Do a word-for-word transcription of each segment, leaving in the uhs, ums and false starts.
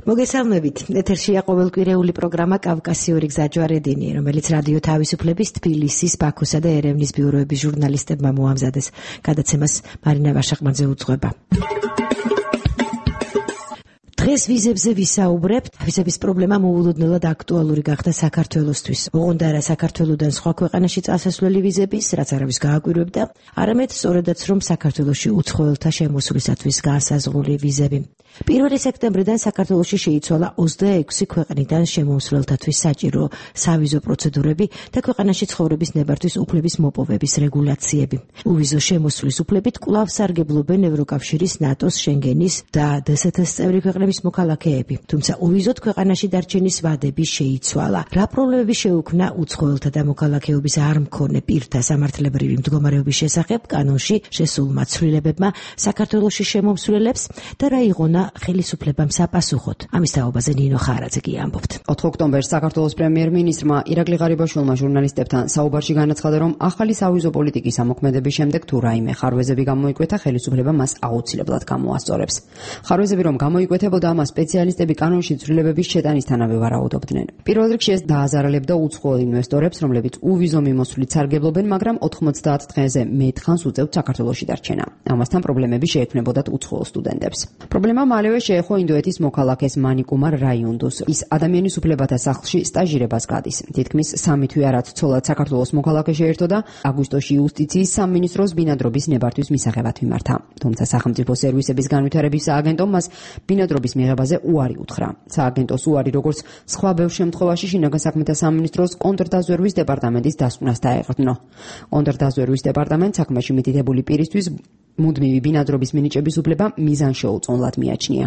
მოგესალმებით. ეთერშია ყოველკვირეული პროგრამა კავკასიური გზაჯვარედინი, რომელიც რადიო თავისუფლების თბილისის, ბაქოსა და ერევნის ბიუროების ჟურნალისტებმა მოამზადეს. გადაცემას მარინა ვაშაყმაძე უძღვება. დღეს ვიზებზე ვისაუბრებთ. ვიზების პრობლემა მოულოდნელად აქტუალური გახდა საქართველოსთვის. ოღონდ არა საქართველოდან სხვა ქვეყანაში წასასვლელი ვიზების, რაც არავის გააკვირვებდა, არამედ სწორედაც რომ საქართველოში უცხოელთა შემოსვლისათვის გაასაზღვრული ვიზები. პირველი სექტემბრიდან საქართველოში შეიცვალა ოცდაექვსი ქვეყნიდან შემომსვლელთათვის საჭირო სავიზო პროცედურები და ქვეყანაში ცხოვრების ნებართვის უფლების მოპოვების რეგულაციები. უვიზო შემოსვლის უფლებით კვლავ სარგებლობენ ევროკავშირის, ნატოს, შენგენის და დსთ-ს წევრი ქვეყნების მოქალაქეები. თუმცა უვიზოდ ქვეყანაში დარჩენის ვადები შეიცვალა. რა პრობლემები შეუქმნა უცხოელთა და მოქალაქეობის არ მქონე პირთა სამართლებრივი მდგომარეობის შესახებ კანონში შესულმა ცვლილებებმა საქართველოში შემომსვლელებს და რა იღონა ხელისუფლებამ საპასუხოდ. ამის თაობაზე ნინო ხარაძე ამბობთ. ოთხ ოქტომბერს საქართველოს პრემიერ-მინისტრმა ირაკლი ღარიბაშვილმა ჟურნალისტებთან საუბარში განაცხადა, რომ ახალი სავიზო პოლიტიკის ამოქმედების შემდეგ თუ რაიმე ხარვეზები გამოიკვეთა, ხელისუფლება მას აუცილებლად გამოასწორებს. ხარვეზები რომ გამოიკვეთებოდა, მას სპეციალისტები კანონში ცვლილებების შეტანისთანავე ვარაუდობდნენ. პირველ რიგში ეს დააზარალებდა უცხოელ ინვესტორებს, რომლებიც უვიზო მიმოსვლით სარგებლობენ, მაგრამ ოთხმოცდაათ დღეზე მეტ ხანს უწევთ საქართველოში დარჩენა. ამასთან პრობლემები შეექმნებოდათ უცხოელ სტუდენტებს. პრობლემა მალევე შეეხო ინდოეთის მოქალაქეს მანიკუმარ რაიუნდუს. ის ადამიანის უფლებათა სახლში სტაჟირებას გადის. თითქმის სამი თვე არად ცოლად საქართველოს მოქალაქე შეერთო და აგვისტოში იუსტიციის სამინისტროს ბინადრობის ნებართვის მისაღებად მიმართა. თუმცა სახელმწიფო სერვისების განვითარების სააგენტომ მას ბინადრობის მიღებაზე უარი უთხრა. სააგენტოს უარი, როგორც სხვა ბევრ შემთხვევაში, შინაგან საქმეთა სამინისტროს კონტრდაზვერვის დეპარტამენტის დასკვნას დაეყრდნო. კონტრდაზვერვის დეპარტამენტს საქმეში მითითებული პირისთვის მუდმივი ბინადრობის მინიჭების უფლება მიზანშეუწონლად მიაჩნია.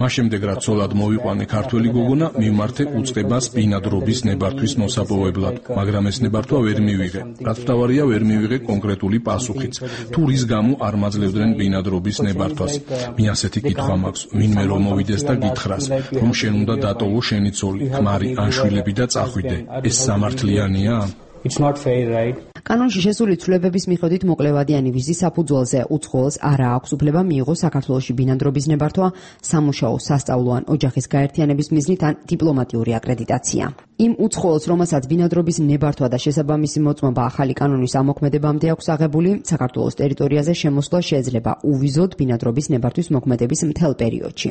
მას შემდეგ რაც ცოლად მოვიყვანე ქართველი გოგონა, მივმართე უწყებას ბინადრობის ნებართვის მოსაპოვებლად, მაგრამ ეს ნებართვა ვერ მივიღე. რაც მთავარია, ვერ მივიღე კონკრეტული პასუხიც. თუ რის გამო არ მაძლევდნენ ბინადრობის ნებართვას? მე ასეთი კითხვა მაქვს, ვინმე რომ მოვიდეს და გითხრას, რომ შენ უნდა დატოვო შენი ცოლი, ქმარი ან შვილები და წახვიდე. ეს სამართლიანია? It's not fair, right? კანონში შესული ცვლილებების მიხედვით მოკლევადიანი ვიზის საფუძველზე უცხოელს არა აქვს უფლება მიიღოს საქართველოში ბინადრობის ნებართვა, სამუშაო, სასწავლო ან ოჯახის გაერთიანების მიზნით ან დიპლომატიური აკრედიტაცია. იმ უცხოელს, რომელსაც ბინადრობის ნებართვა და შესაბამისი მოწმობა ახალი კანონის ამოქმედებამდე აქვს აღებული, საქართველოს ტერიტორიაზე შემოსვლა შეიძლება უვიზოდ ბინადრობის ნებართვის მოქმედების მთელ პერიოდში.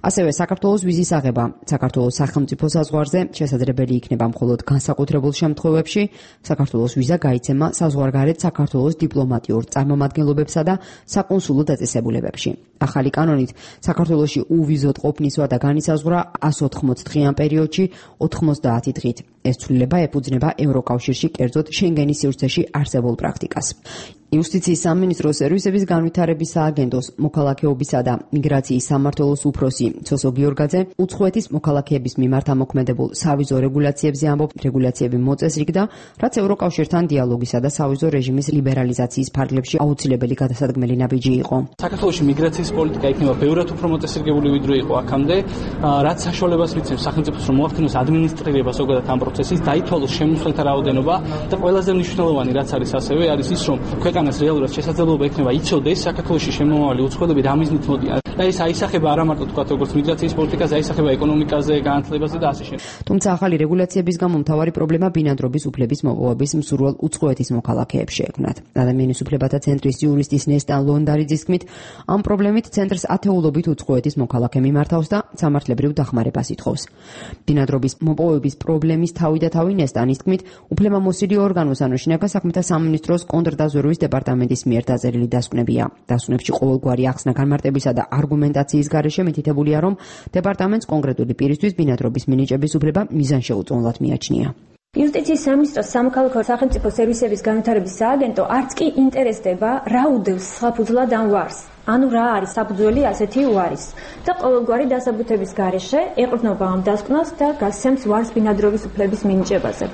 ასევე საქართველოს ვიზის აღება საქართველოს სახელმწიფო საზღვარზე შესაძლებელი იქნება მხოლოდ განსაკუთრებულ შემთხვევებში. საქართველოს ვიზა გაიცემა საზღვარგარეთ საქართველოს დიპლომატიურ წარმომადგენლობებსა და საკონსულო დაწესებულებებში. ახალი კანონით საქართველოში უვიზოდ ყოფნის ვადა განისაზღვრა ას ოთხმოცდ დღიან პერიოდში ოთხმოცდაათი დღით. ეს ცვლილება ეფუძნება ევროკავშირში, კერძოდ შენგენის სივრცეში არსებულ პრაქტიკას. იუსტიციის სამინისტროს სერვისების განვითარების სააგენტოს მოქალაქეობისა და მიგრაციის სამმართველოს უფროსი ცოსო გიორგაძე უცხოეთის მოქალაქეების მიმართ ამოქმედებულ სავიზო რეგულაციებზე ამბობს, რეგულაციები მოწესრიგდა და რაც ევროკავშირთან დიალოგისა და სავიზო რეჟიმის ლიბერალიზაციის ფარგლებში აუცილებელი გადასადგმელი ნაბიჯი იყო. საქართველოში მიგრაციის პოლიტიკა იქნება ბევრად უფრო მოწესრიგებული ვიდრე იყო აქამდე, რაც საშუალებას მიცემს სახელმწიფოს რომ მოახდინოს ადმინისტრირება ზოგადად ამ პროცესის, დაითვალოს შემოსვლელთა რაოდენობა და ყველაზე მნიშვნელოვანი რაც არის ასევე არის ის რომ ქვეყანას რეალურად შესაძლებლობა ექნება იცოდეს საქართველოში შემომავალი უცხოელები რა მიზნით მოდიან. და ეს აისახება არა მარტო თქვა როგორც მიგრაციის პოლიტიკაზე, აისახება ეკონომიკაზე, განათლებაზე და ასე შემდეგ. თუმცა ახალი რეგულაციების გამო მთავარი პრობლემა ბინადრობის უფლების მოპოვების მსურველ უცხოეთის მოქალაქეებს შეექმნათ. ადამიანის უფლებათა ცენტრის იურისტის ნესტან ლონდარიძის თქმით, ამ პრობლემით ცენტრს ათეულობით უცხოეთის მოქალაქე მიმართავს და სამართლებრივ დახმარებას ითხოვს. ბინადრობის მოპოვების პრობლემის თავი და თავი ნესტანის თქმით, უფლებამოსილი ორგანოს ანუ შინაგან საქმეთა სამინისტროს კონტრდაზვერვის დეპარტამენტის მიერ დაწერილი დასკვნებია. დასკვნებში ყოველგვარი ახსნა განმარტებისა და არგუმენტაციის გარეშე მითითებულია, რომ დეპარტამენტს კონკრეტული პირისთვის ბინადრობის მინიჭების უფლება მიზანშეუწონლად მიაჩნია. იუსტიციის სამინისტროს სამოქალაქო სახელმწიფო სერვისების განვითარების სააგენტო არც კი ინტერესდება რა უდევს საფუძვლად ამ ვარს. ანუ რა არის საფუძველი ასეთი უარის და ყოველგვარი დასაბუთების გარეშე ეყრდნობა ამ დასკვნას და გასცემს ვარს ბინადრობის უფლების მინიჭებაზე.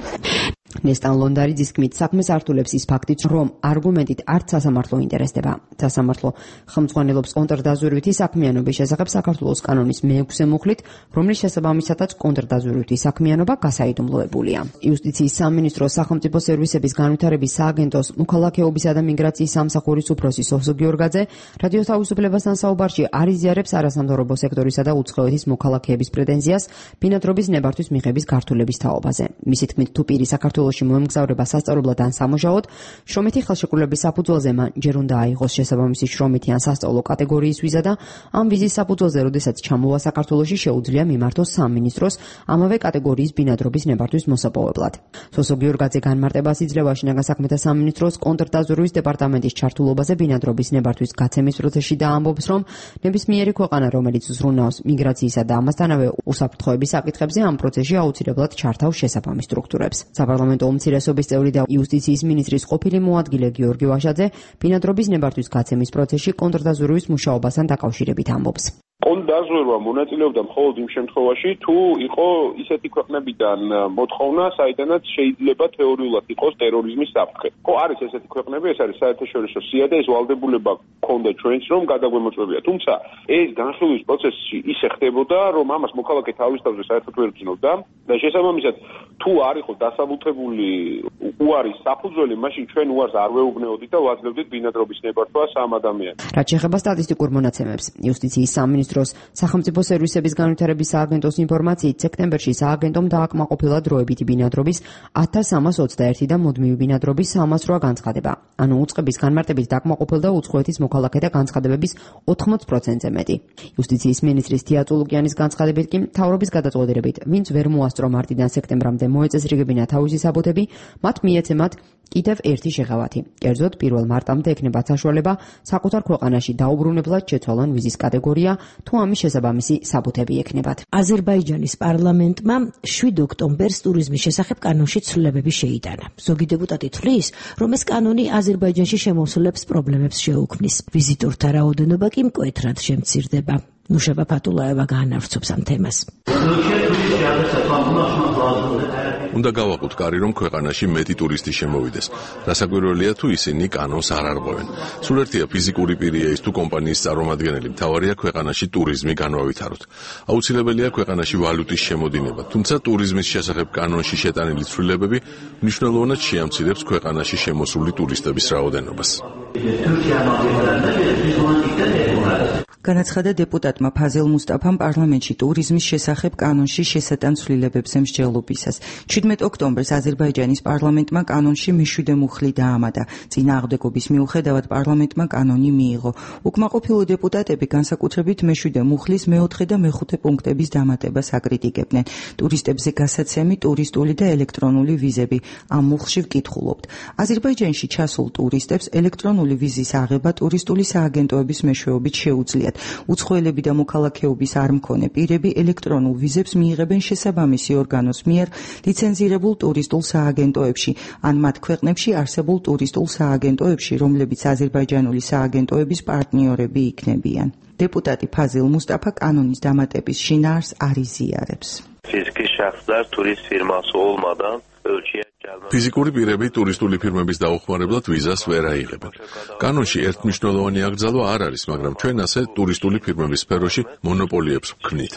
ნესტან ლონდარიძის თქმით, საქმეს ართულებს ის ფაქტიც, რომ არგუმენტით არც სასამართლო ინტერესდება. სასამართლო ხელმძღვანელობს კონტრდაზვერვითი საქმიანობის შესახებ საქართველოს კანონის მეექვსე მუხლით, რომლის შესაბამისათაც კონტრდაზვერვითი საქმიანობა გასაიდუმლოებულია. იუსტიციის სამინისტროს სახელმწიფო სერვისების განვითარების სააგენტოს მოქალაქეობისა და მიგრაციის სამსახურის უფროსი სოფსო გიორგაძე რადიო თავისუფლებასთან საუბარში არ იზიარებს არასამთავრობო სექტორისა და უცხოეთის მოქალაქეების პრეტენზიას ბინადრობის ნებართვის მიღების გართულების თაობაზე. მისი თქმით, თუ პირი საქართველოში მოემგზავრება სასწავლებლად ან სამუშაოდ, შრომითი ხელშეკრულების საფუძველზე მან ჯერ უნდა აიღოს შესაბამისი შრომითი ან სასწავლო კატეგორიის ვიზა და ამ ვიზის საფუძველზე, როდესაც ჩამოვა საქართველოში, შეუძლია მიმართოს სამინისტროს ამავე კატეგორიის ბინადრობის ნებართვის მოსაპოვებლად. სოფსო გიორგაძე განმარტებას იძლევა შინაგან საქმეთა სამინისტროს კონტრდაზვერვის დეპარტამენტის ჩართულობაზე ბინადრობის ნებართვის გაცემის პროცესში და ამბობს, რომ ნებისმიერი ქვეყანა, რომელიც ზრუნავს მიგრაციისა და ამასთანავე უსაფრთხოების საკითხებზე, ამ პროცესში აუცილებლად ჩართავს შესაბამის სტრუქტურებს. საპარლამენტო უმცირესობის წევრი და იუსტიციის მინისტრის ყოფილი მოადგილე გიორგი ვაშაძე ბინადრობის ნებართვის გაცემის პროცესში კონტრდაზვერვის მუშაობასთან დაკავშირებით ამბობს. კონტრდაზვერვა მონაწილეობდა მხოლოდ იმ შემთხვევაში, თუ იყო ისეთი ქვეყნებიდან მოთხოვნა, საიდანაც შეიძლება თეორიულად იყოს ტერორიზმის საფრთხე. ხო, არის ესეთი ქვეყნები, ეს არის საერთაშორისო სია და ეს ვალდებულება ქონდა ჩვენს, რომ გადაგვემოწმებია. თუმცა ეს განხილვის პროცესში ისე ხდებოდა, რომ ამას მოქალაქე თავის თავზე საერთოდ ვერ გრძნობდა და შესაბამისად, თუ არ იყო დასაბუთებული უარის საფუძველი, მაშინ ჩვენ უარს არ ვეუბნეოდით და ვაძლევდით ბინადრობის ნებართვა სამ ადამიანს. რაც შეეხება სტატისტიკურ მონაცემებს, იუსტიციის სამინისტროს სახელმწიფო სერვისების განვითარების სააგენტოს ინფორმაციით, სექტემბერში სააგენტომ დააკმაყოფილა დროებითი ბინადრობის ათას სამას ოცდაერთი და მუდმივი ბინადრობის სამას რვა განცხადება. ანუ უწყების განმარტებით დაკმაყოფილდა უცხოეთის მოქალაქეთა განცხადებების ოთხმოც პროცენტზე მეტი. იუსტიციის მინისტრის თია წულუკიანის განცხადებით კი მთავრობის გადაწყვეტილებით, ვინც ვერ მოასწრო მარტიდან სექტემბრამდე მოეწესრიგებინა თავისი საბუთები, მათ მიეცემათ კიდევ ერთი შეღავათი. კერძოდ, პირველ მარტამდე ექნებათ საშუალება საკუთარ ქვეყანაში დაუბრუნებლად შეცვალონ ვიზის კატეგორია, თუ ამის შესაბამისი საბუთები ექნებათ. აზერბაიჯანის პარლამენტმა შვიდ ოქტომბერს ტურიზმის შესახებ კანონში ცვლილებები შეიტანა. ზოგი დეპუტატი თვლის, რომ ეს კანონი აზერბაიჯანში შემოსულებს პრობლემებს შეუქმნის. ვიზიტორთა რაოდენობა კი მკვეთრად შემცირდება. ნუშება ფატულაევა გაანავრცობს ამ თემას. უნდა გავაყოთ კარი, რომ ქვეყანაში მეტი ტურისტი შემოვიდეს. რასაკვირველია, თუ ისინი კანონს არ არღვევენ. სულ ერთია ფიზიკური პირია ის თუ კომპანიის წარმომადგენელი, მთავარია ქვეყანაში ტურიზმი განვავითაროთ. აუცილებელია ქვეყანაში ვალუტის შემოდინება, თუმცა ტურიზმის შესახებ კანონში შეტანილი ცვლილებები მნიშვნელოვნად შეამცირებს ქვეყანაში შემოსული ტურისტების რაოდენობას. განაცხადა დეპუტატმა ფაზელ მუსტაფამ პარლამენტში ტურიზმის შესახებ კანონში შესატან ცვლილებებზე მსჯელობისას. შვიდმეტ ოქტომბერს აზერბაიჯანის პარლამენტმა კანონში მეშვიდე მუხლი დაამატა. წინააღმდეგობის მიუხედავად პარლამენტმა კანონი მიიღო. უკმაყოფილო დეპუტატები განსაკუთრებით მეშვიდე მუხლის მეოთხე და მეხუთე პუნქტების დამატებას აკრიტიკებდნენ. ტურისტებზე გასაცემი, ტურისტული და ელექტრონული ვიზები. ამ მუხლში ვკითხულობთ. აზერბაიჯანში ჩასულ ტურისტებს ელექტრონული ვიზის აღება ტურისტული სააგენტოების მეშვეობით შეუძლიათ. უცხოელები და მოქალაქეობის არ მქონე პირები ელექტრონულ ვიზებს მიიღებენ შესაბამისი ორგანოს მიერ ლიცენზირებულ ტურისტულ სააგენტოებში ან მათ ქვეყნებში არსებულ ტურისტულ სააგენტოებში, რომლებიც აზერბაიჯანული სააგენტოების პარტნიორები იქნებიან. დეპუტატი ფაზილ მუსტაფა კანონის დამატების შინაარს არ იზიარებს. Fiziki şəxslər turist firması olmadan ölkəyə ფიზიკური პირები ტურისტული ფირმების დაუხმარებლად ვიზას ვერ აიღებენ. კანონში ერთმნიშვნელოვანი აკრძალვა არ არის, მაგრამ ჩვენ ასე ტურისტული ფირმების სფეროში მონოპოლიებს ვქმნით.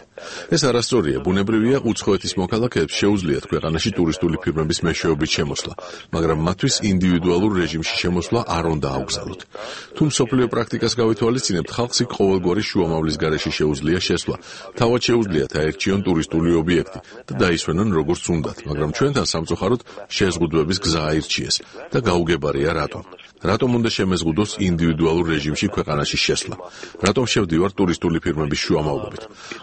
ეს არასწორია, ბუნებრივია, უცხოეთის მოქალაქეებს შეუძლიათ ქვეყანაში ტურისტული ფირმების მეშვეობით შემოსვლა, მაგრამ მათთვის ინდივიდუალურ რეჟიმში შემოსვლა არ უნდა აუგზავნოთ. თუ მსოფლიო პრაქტიკას გავითვალისწინებთ, ხალხს იქ ყოველგვარი შუამავლის გარეშე შეუძლია შესვლა. თავად შეუძლიათ აერჩიონ ტურისტული ობიექტი და დაისვენონ როგორც უნდათ, მაგრამ ჩვენთან სამწუხაროდ შეზღუდვების გზა აირჩიეს და გაუგებარია რატომ. რატომ უნდა შემეზღუდოს ინდივიდუალურ რეჟიმში ქვეყანაში შესვლა? რატომ შევდივარ ტურისტული ფირმების შუამავლობით?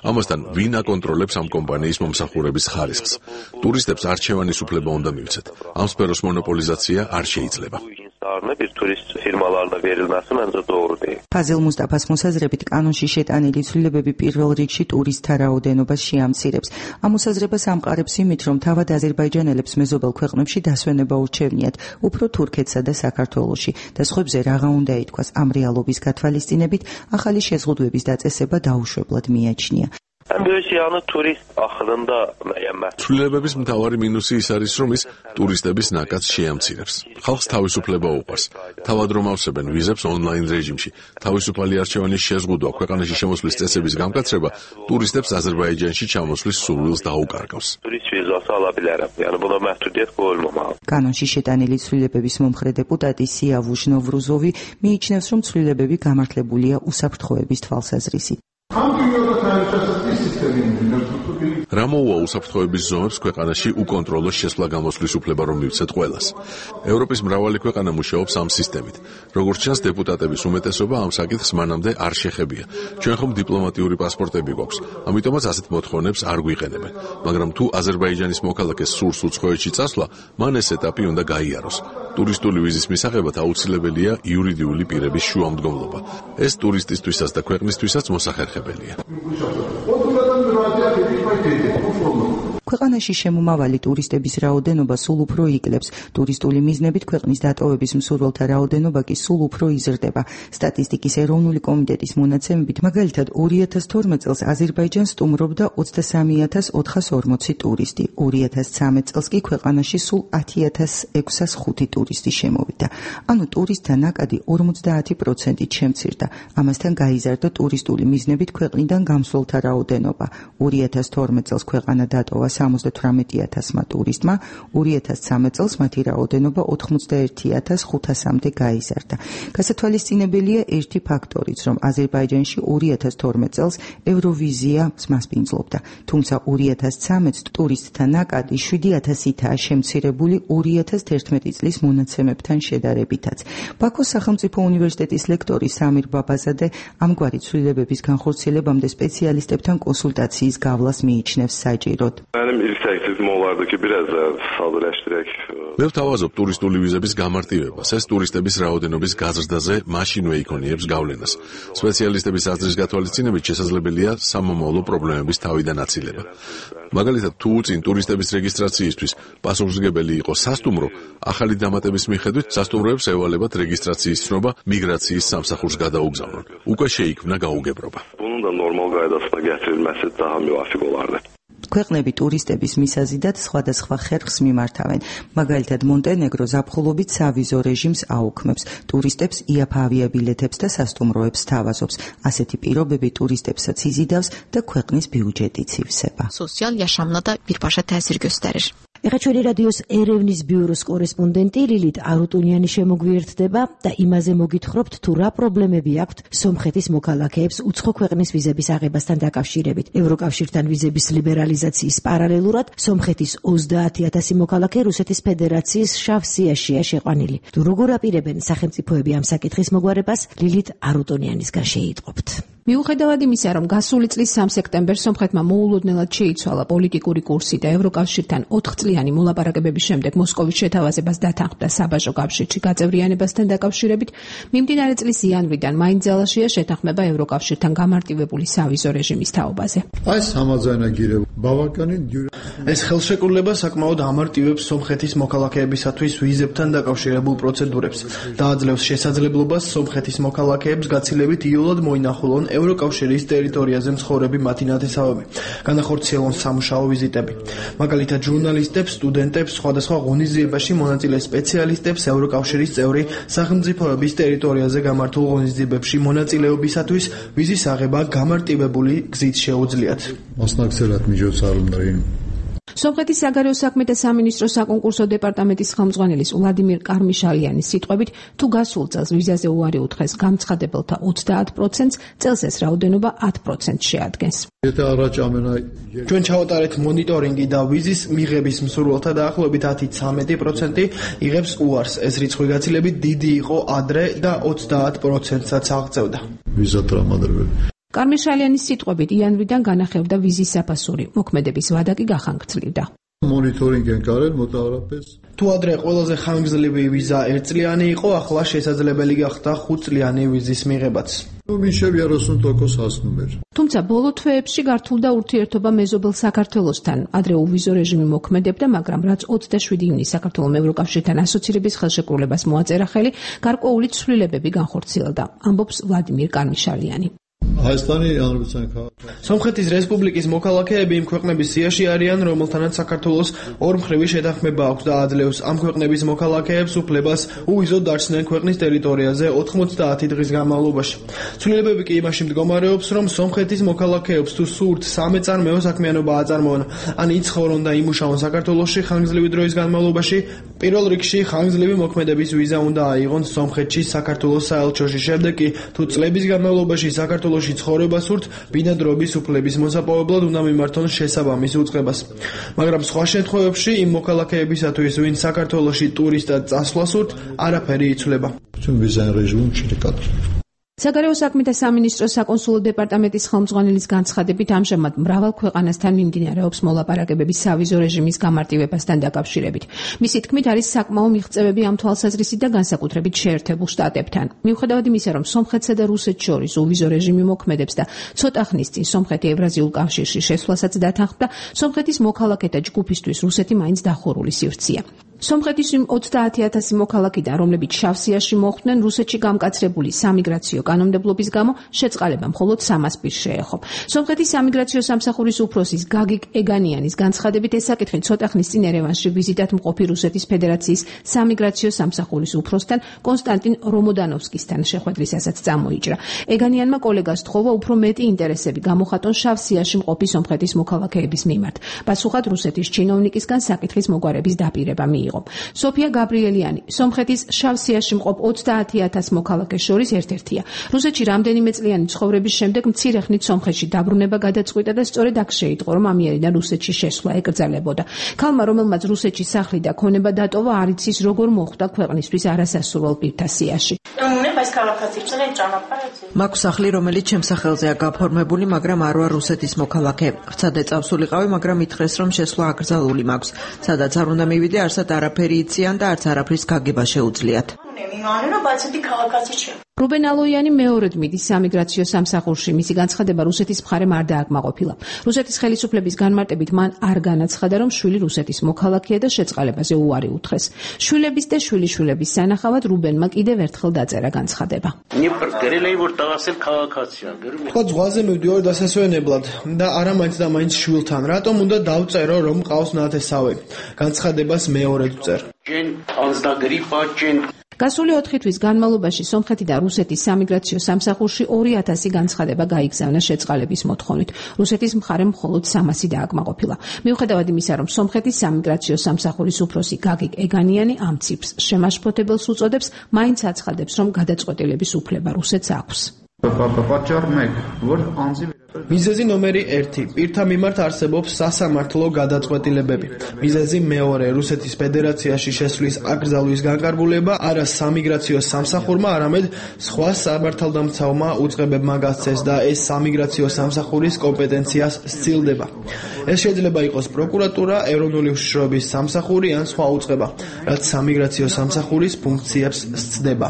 ამასთან ვინ აკონტროლებს ამ კომპანიის მომსახურების ხარისხს? ტურისტებს არჩევანის უფლება უნდა მივცეთ. ამ სფეროს მონოპოლიზაცია არ შეიძლება. bir turist firmalarına verilməsi məncə doğru deyil. ფაზილ მუსტაფას მოსაზრებით კანონში შეტანილი ცვლილებები პირველ რიგში ტურისტთა რაოდენობას შეამცირებს. ამ მოსაზრებას ამყარებს იმით, რომ თავად აზერბაიჯანელებს მეზობელ ქვეყნებში დასვენება ურჩევნიათ, უფრო თურქეთსა და საქართველოში და სხვებზე რაღა უნდა ითქვას. ამ რეალობის გათვალისწინებით ახალი შეზღუდვების დაწესება დაუშვებლად მიაჩნია. Böyüsyanı turist axırında müəyyən ცვლილებების მთავარი მინუსი ის არის, რომ ის ტურისტების ნაკადს შეამცირებს. ხალხს თავისუფლება უყვარს. თავად რომ ავსებენ ვიზებს ონლაინ რეჟიმში. თავისუფალი არჩევანის შეზღუდვა, ქვეყანაში შემოსვლის წესების გამკაცრება ტურისტებს აზერბაიჯანში ჩამოსვლის სურვილს დაუკარგავს. Turist vizası ala bilərəm. Yəni buna məhdudiyyət qoyulmamalı. კანონში შეტანილი ცვლილებების მომხრე დეპუტატი სიავუშ ნოვრუზოვი მიიჩნევს, რომ ცვლილებები გამართლებულია უსაფრთხოების თვალსაზრისით. რა მოუვა უსაფრთხოების ზომებს ქვეყანაში უკონტროლო შესვლა-გამოსვლის უფლება რომ მივცეთ ყველას. ევროპის მრავალი ქვეყანა მუშაობს ამ სისტემით. როგორც ჩანს, დეპუტატების უმეტესობა ამ საკითხს მანამდე არ შეხებია. ჩვენ ხომ დიპლომატიური პასპორტები გვაქვს, ამიტომაც ასეთ მოთხოვნებს არ გვიყენებენ. მაგრამ თუ აზერბაიჯანის მოქალაქეს სურს უცხოეთში წასვლა, მან ეს ეტაპი უნდა გაიაროს. ტურისტული ვიზის მისაღებად აუცილებელია იურიდიული პირების შუამდგომლობა. ეს ტურისტისთვისაც და ქვეყნისთვისაც მოსახერხებელია. ქვეყანაში შემომავალი ტურისტების რაოდენობა სულ უფრო იკლებს. ტურისტული მიზნებით ქვეყნის დატოვების მსურველთა რაოდენობა კი სულ უფრო იზრდება. სტატისტიკის ეროვნული კომიტეტის მონაცემებით, მაგალითად ორი ათას თორმეტ წელს აზერბაიჯანს სტუმრობდა ოცდასამი ათას ოთხას ორმოცი ტურისტი. ორი ათას ცხრამეტ წელს კი ქვეყანაში სულ ათი ათას ექვსას ხუთი ტურისტი შემოვიდა. ანუ ტურისტთა ნაკადი ორმოცდაათი პროცენტით შემცირდა. ამასთან გაიზარდა ტურისტული მიზნებით ქვეყნიდან გამსვლელთა რაოდენობა. ორი ათას თორმეტ წელს ქვეყანა დატოვა სამოცდათვრამეტი ათასმა ტურისტმა, ორი ათას ცხრამეტ წელს მათი რაოდენობა ოცდაერთი ათას ხუთასამდე გაიზარდა. გასათვალისწინებელია ერთი ფაქტორიც, რომ აზერბაიჯანში ორი ათას თორმეტ წელს ევროვიზია მასპინძლობდა, თუმცა ორი ათას ცხრამეტ ტურისტთა ნაკადი შვიდი ათასითაა შემცირებული ორი ათას თერთმეტი წლის მონაცემებთან შედარებითაც. ბაქოს სახელმწიფო უნივერსიტეტის ლექტორი სამირ ბაბაზადე ამგვარი ცვლილებების განხორციელებამდე სპეციალისტებთან კონსულტაციის გავლას მიიჩნევს საჭიროდ. მე ვთავაზობ ტურისტული ვიზების გამარტივებას. ეს ტურისტების რაოდენობის გაზრდაზე მაშინვე იქონიებს გავლენას. სპეციალისტების აზრის გათვალისწინებით შესაძლებელია სამომავლო პრობლემების თავიდან აცილება. მაგალითად, თუ წინ ტურისტების რეგისტრაციისთვის პასუხისმგებელი იყო სასტუმრო, ახალი დამატების მიხედვით სასტუმროებს ევალებათ რეგისტრაციის ცნობა მიგრაციის სამსახურს გადაუგზავნონ. უკვე შეიქმნა გაუგებრობა. ქვეყნები ტურისტების მისაზიდად სხვადასხვა ხერხს მიმართავენ. მაგალითად, მონტენეგრო ზაფხულობით სავიზო რეჟიმს აუქმებს, ტურისტებს იაფ ავიაბილეთებს და სასტუმროებს სთავაზობს. ასეთი პირობები ტურისტებსაც იზიდავს და ქვეყნის ბიუჯეტიც ივსება. Sosial yaşamına da birbaşa təsir göstərir. ეხლა ჩვენი რადიოს ერევნის ბიუროს კორესპონდენტი ლილით არუტუნიანი შემოგვიერთდება და იმაზე მოგითხრობთ, თუ რა პრობლემები აქვთ სომხეთის მოქალაქეებს უცხო ქვეყნის ვიზების აღებასთან დაკავშირებით. ევროკავშირთან ვიზების ლიბერალიზაციის პარალელურად სომხეთის ოცდაათი ათასი მოქალაქე რუსეთის ფედერაციის შავ სიაშია შეყვანილი. თუ როგორ აპირებენ სახელმწიფოები ამ საკითხის მოგვარებას, ლილით არუტუნიანისგან შეიტყობთ. მიუხედავად იმისა, რომ გასული წლის სამ სექტემბერს სომხეთმა მოულოდნელად შეიცვალა პოლიტიკური კურსი და ევროკავშირთან ოთხწლიანი მოლაპარაკებების შემდეგ მოსკოვის შეთავაზებას დათანხმდა საბაჟო კავშირში გაწევრიანებასთან დაკავშირებით, მიმდინარე წლის იანვრიდან მაინც ძალაშია შეთანხმება ევროკავშირთან გამარტივებული სავიზო რეჟიმის თაობაზე. ეს ხელშეკრულება საკმაოდ ამარტივებს სომხეთის მოქალაქეებისათვის ვიზებთან დაკავშირებულ პროცედურებს და აძლევს შესაძლებლობას სომხეთის მოქალაქეებს გაცილებით იოლად მოინახულონ ევროკავშირის ტერიტორიაზე მცხოვრები მათი ნათესავები, განახორციელონ სამუშაო ვიზიტები. მაგალითად, ჟურნალისტებს, სტუდენტებს, სხვადასხვა ღონისძიებაში მონაწილე სპეციალისტებს ევროკავშირის წევრი სახელმწიფოების ტერიტორიაზე გამართულ ღონისძიებებში მონაწილეობისათვის ვიზის აღება გამარტივებული გზით შეუძლიათ. სომხეთის საგარეო საქმეთა სამინისტროს საკონკურსო დეპარტამენტის ხელმძღვანელის ვლადიმირ კარმიშალიანის სიტყვებით, თუ გასულ წელს ვიზაზე უარი უთხრეს გამცხადებელთა ოცდაათ პროცენტს, წელს ეს რაოდენობა ათ პროცენტს შეადგენს. ჩვენ ჩავატარეთ მონიტორინგი და ვიზის მიღების მსურველთა დაახლოებით ათი ცხრამეტი პროცენტი იღებს უარს. ეს რიცხვი გაცილებით დიდი იყო ადრე და ოცდაათ პროცენტსაც აღწევდა. კარმიშალიანის სიტყვებით იანვრიდან განახევდა ვიზის საფასური, მოქმედების ვადა კი გახანგრძლივდა. თუ ადრე ყველაზე ხანგრძლივი ვიზა ერთწლიანი იყო, ახლა შესაძლებელი გახდა ხუთწლიანი ვიზის მიღებაც. თუმცა ბოლო თვეებში გართულდა ურთიერთობა მეზობელ საქართველოსთან. ადრე ოვიზო რეჟიმი მოქმედებდა, მაგრამ რაც ოცდაშვიდი ივნისს საქართველოს ევროკავშირთან ასოცირების ხელშეკრულებას მოაწერა ხელი, გარკვეული ცვლილებები განხორციელდა, ამბობს ვლადიმირ კარმიშალიანი. სომხეთის რესპუბლიკის მოქალაქეები იმ ქვეყნების სიაში არიან, რომელთანაც საქართველოს ორმხრივი შეთანხმება აქვს და აძლევს ამ ქვეყნების მოქალაქეებს უფლებას უვიზოდ დარჩნენ ქვეყნის ტერიტორიაზე ოცდაათი დღის განმავლობაში. ცვლილებები კი იმაში მდგომარეობს, რომ სომხეთის მოქალაქეებს თუ სურთ სამეწარმეო საქმიანობა აწარმოონ, ან იცხოვრონ და იმუშაონ საქართველოში ხანგრძლივი დროის განმავლობაში, პირველ რიგში ხანგრძლივი მოქმედების ვიზა უნდა აიღონ სომხეთში საქართველოს საელჩოში. შემდეგ კი თუ წლების განმავლობაში საქართველოში ცხოვრება სურთ, ბინადრობის უფლების მოსაპოვებლად უნდა მიმართონ შესაბამის უწყებას. მაგრამ სხვა შემთხვევებში იმ მოქალაქეებისათვის, ვინც საქართველოში ტურისტად წასვლა სურთ, არაფერი იცვლება. საგარეო საქმეთა სამინისტროს საკონსულო დეპარტამენტის ხელმძღვანელის განცხადებით, ამჟამად მრავალ ქვეყანასთან მიმდინარეობს მოლაპარაკებები სავიზო რეჟიმის გამარტივებასთან დაკავშირებით. მისი თქმით, არის საკმაო მიღწევები ამ თვალსაზრისით და განსაკუთრებით შეერთებულ შტატებთან. მიუხედავად იმისა, რომ სომხეთსა და რუსეთს შორის უვიზო რეჟიმი მოქმედებს და ცოტა ხნის წინ სომხეთი ევრაზიულ კავშირში შესვლასაც დათანხმდა, სომხეთის მოქალაქეთა ჯგუფისთვის რუსეთი მაინც დახურული სივრცეა. სომხეთის იმ ოცდაათი ათასი მოქალაქიდან, რომლებიც შავსიაში მოხვდნენ, რუსეთში გამკაცრებული სამიგრაციო კანონმდებლობის გამო შეწყალება მხოლოდ სამას პირს შეეხო. სომხეთის სამიგრაციო სამსახურის უფროსის გაგიკ ეგანიანის განცხადებით, ეს საკითხი ცოტა ხნის წინ ერევანში ვიზიტად მყოფი რუსეთის ფედერაციის სამიგრაციო სამსახურის უფროსთან კონსტანტინ რომოდანოვსკისთან შეხვედრისასაც წამოიჭრა. ეგანიანმა კოლეგას თხოვა უფრო მეტი ინტერესები გამოხატონ შავსიაში მყოფი სომხეთის მოქალაქეების მიმართ. პასუხად რუსეთის ჩინოვნიკისგან საკითხის მოგვარების დაპირება მიიღო. სოფია გაბრიელიანი, სომხეთის შავსიაში მყოფ ოცდაათი ათას მოქალაქეს შორის ერთ-ერთია. რუსეთში რამდენიმე წლიანი ცხოვრების შემდეგ მცირე ხნით სომხეთში დაბრუნება გადაწყვიტა და სწორედ აქ შეიტყო, რომ ამიერიდან რუსეთში შესვლა ეკრძალებოდა. ქალმა, რომელმაც რუსეთში სახლი და ქონება დატოვა, არ იცის როგორ მოხვდა ქვეყნისთვის არასასურველ პირთა სიაში. მაქვს სახლი, რომელიც ჩემს სახელზეა გაფორმებული, მაგრამ არ ვარ რუსეთის მოქალაქე. ვცადე წავსულიყავი, მაგრამ ითხრეს, რომ შესვლა აკრძალული მაქვს. სადაც არ უნდა მივიდე, არსად არაფერი იციან და არც არაფრის გაგება შეუძლიათ. რუბენ ალოიანი მეორედ მიდის სამიგრაციო სამსახურში. მისი განცხადება რუსეთის მხარემ არ დააკმაყოფილა. რუსეთის ხელისუფლების განმარტებით მან არ განაცხადა, რომ შვილი რუსეთის მოქალაქეა და შეწყალებაზე უარი უთხრეს. შვილების და შვილიშვილების სანახავად რუბენმა კიდევ ერთხელ დაწერა განცხადება. თქვა ზღვაზე მივდივარ დასასვენებლად და არა მაინც და მაინც შვილთან. რატომ უნდა დავწერო, რომ მყავს ნათესავი? განცხადებას მეორედ ვწერ. გასული ოთხი თვის განმავლობაში სომხეთი და რუსეთის სამიგრაციო სამსახურში ორი ათასი განცხადება გაიგზავნა შეწყალების მოთხოვნით. რუსეთის მხარემ მხოლოდ სამასი დააკმაყოფილა. მიუხედავად იმისა, რომ სომხეთის სამიგრაციო სამსახურის უფროსი გაგიკ ეგანიანი ამ ციფრს შემაშფოთებელს უწოდებს, მაინც აცხადებს, რომ გადაწყვეტილების უფლება რუსეთს აქვს. მიზეზი ნომერი ერთი. პირთა მიმართ არსებობს სასამართლო გადაწყვეტილებები. მიზეზი მეორე. რუსეთის ფედერაციაში შესვლის აკრძალვის განკარგულება არა სამიგრაციო სამსახურმა, არამედ სხვა სამართალდამცავმა უწყებებმა გასცეს და ეს სამიგრაციო სამსახურის კომპეტენციას სცილდება. ეს შეიძლება იყოს პროკურატურა, ეროვნული უშიშროების სამსახური ან სხვა უწყება, რაც სამიგრაციო სამსახურის ფუნქციებს სცდება.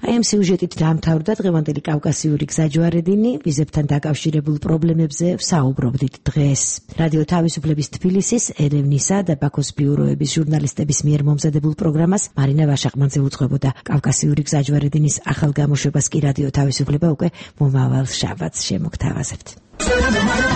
აი ამ სიუჟეტით დაამთავრდა დღევანდელი კავკასიური გზაჯვარედინი. ვიზებთან დაკავშირებულ პრობლემებზე ვსაუბრობდით დღეს. რადიო თავისუფლების თბილისის, ერევნისა და ბაქოს ბიუროების ჟურნალისტების მიერ მომზადებულ პროგრამას მარინა ვაშაყმანძე უძღვებოდა. კავკასიური გზაჯვარედინის ახალ გამოშვებას კი რადიო თავისუფლება უკვე მომავალ შაბათს შემოგთავაზებთ.